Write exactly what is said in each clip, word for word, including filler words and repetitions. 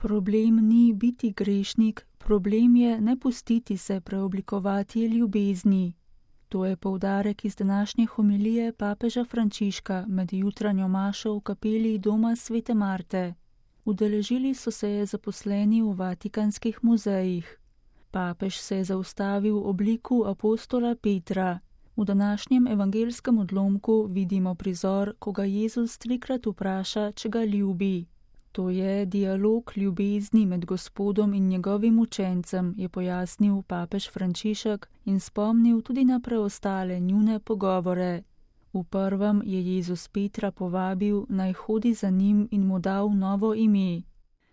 Problem ni biti grešnik, problem je ne pustiti se preoblikovati ljubezni. To je poudarek iz današnje homilije papeža Frančiška med jutranjo mašo v kapeli doma svete Marte. Udeležili so se je zaposleni v vatikanskih muzejih. Papež se je zaustavil v obliku apostola Petra. V današnjem evangelskem odlomku vidimo prizor, ko ga Jezus trikrat vpraša, če ga ljubi. To je dialog ljubezni med Gospodom in njegovim učencem, je pojasnil papež Frančišek in spomnil tudi na preostale njune pogovore. V prvem je Jezus Petra povabil, naj hodi za njim in mu dal novo ime.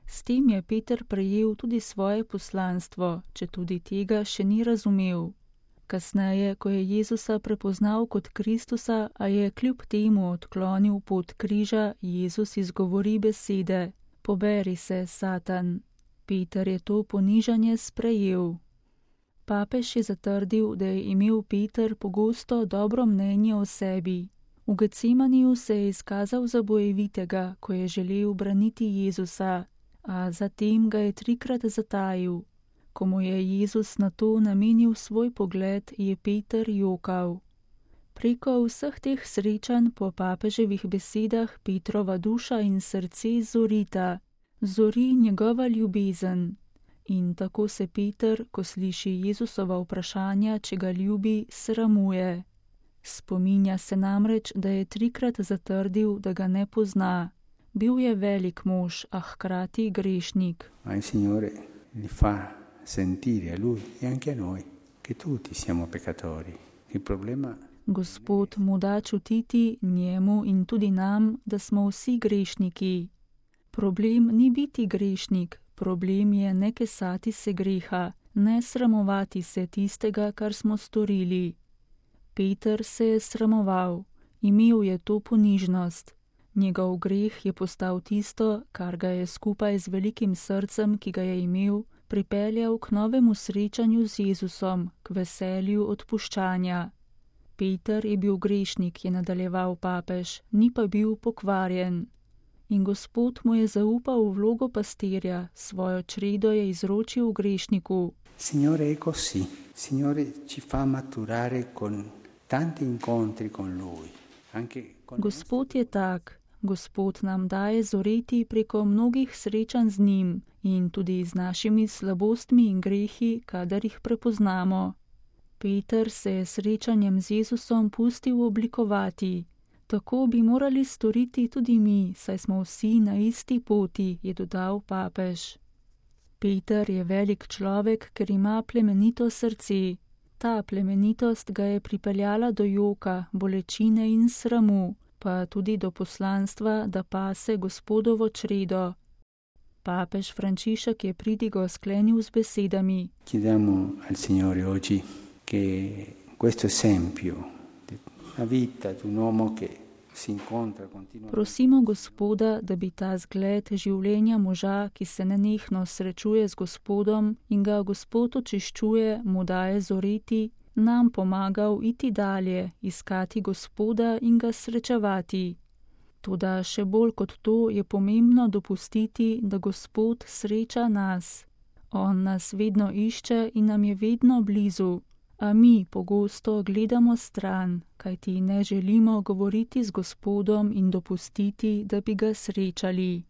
S tem je Peter prejel tudi svoje poslanstvo, če tudi tega še ni razumel. Kasneje, ko je Jezusa prepoznal kot Kristusa, a je kljub temu odklonil pot križa, Jezus izgovori besede: Poberi se, Satan. Peter je to ponižanje sprejel. Papež je zatrdil, da je imel Peter pogosto dobro mnenje o sebi. V Getsemaniju se je izkazal za bojevitega, ko je želel braniti Jezusa, a zatem ga je trikrat zatajil. Ko mu je Jezus na to namenil svoj pogled, je Peter jokal. Preko vseh teh srečanj po papeževih besedah Petrova duša in srce zorita, zori njegova ljubezen. In tako se Peter, ko sliši Jezusova vprašanja, če ga ljubi, sramuje. Spominja se namreč, da je trikrat zatrdil, da ga ne pozna. Bil je velik mož, a hkrati grešnik. Ma il Signore li fa sentire a lui e anche a noi che tutti siamo peccatori. Il problema Gospod mu da čutiti, njemu in tudi nam, da smo vsi grešniki. Problem ni biti grešnik, problem je ne kesati se greha, ne sramovati se tistega, kar smo storili. Peter se je sramoval, imel je to ponižnost. Njegov greh je postal tisto, kar ga je skupaj z velikim srcem, ki ga je imel, pripeljal k novemu srečanju z Jezusom, k veselju odpuščanja. Peter je bil grešnik, je nadaljeval papež, ni pa bil pokvarjen. In Gospod mu je zaupal vlogo pastirja, svojo čredo je izročil grešniku. Signore è così. Signore ci fa maturare con tanti incontri con lui. Anche con Gospod je tak. Gospod nam daje zoreti preko mnogih srečanj z njim in tudi z našimi slabostmi in grehi, kadar jih prepoznamo. Peter se je srečanjem z Jezusom pustil oblikovati. Tako bi morali storiti tudi mi, saj smo vsi na isti poti, je dodal papež. Peter je velik človek, ker ima plemenito srce. Ta plemenitost ga je pripeljala do joka, bolečine in sramu, pa tudi do poslanstva, da pase Gospodovo čredo. Papež Frančišek je pridigo sklenil z besedami: Chiediamo al Signore oggi che questo esempio di una vita di un uomo che si incontra continuamente. Prosimo Gospoda, da bi ta zgled življenja moža, ki se nenehno srečuje z Gospodom in ga Gospod očiščuje, mu daje zoreti, nam pomagal iti dalje, iskati Gospoda in ga srečevati. Toda še bolj kot to je pomembno dopustiti, da Gospod sreča nas. On nas vedno išče in nam je vedno blizu, a mi pogosto gledamo stran, kajti ne želimo govoriti z Gospodom in dopustiti, da bi ga srečali.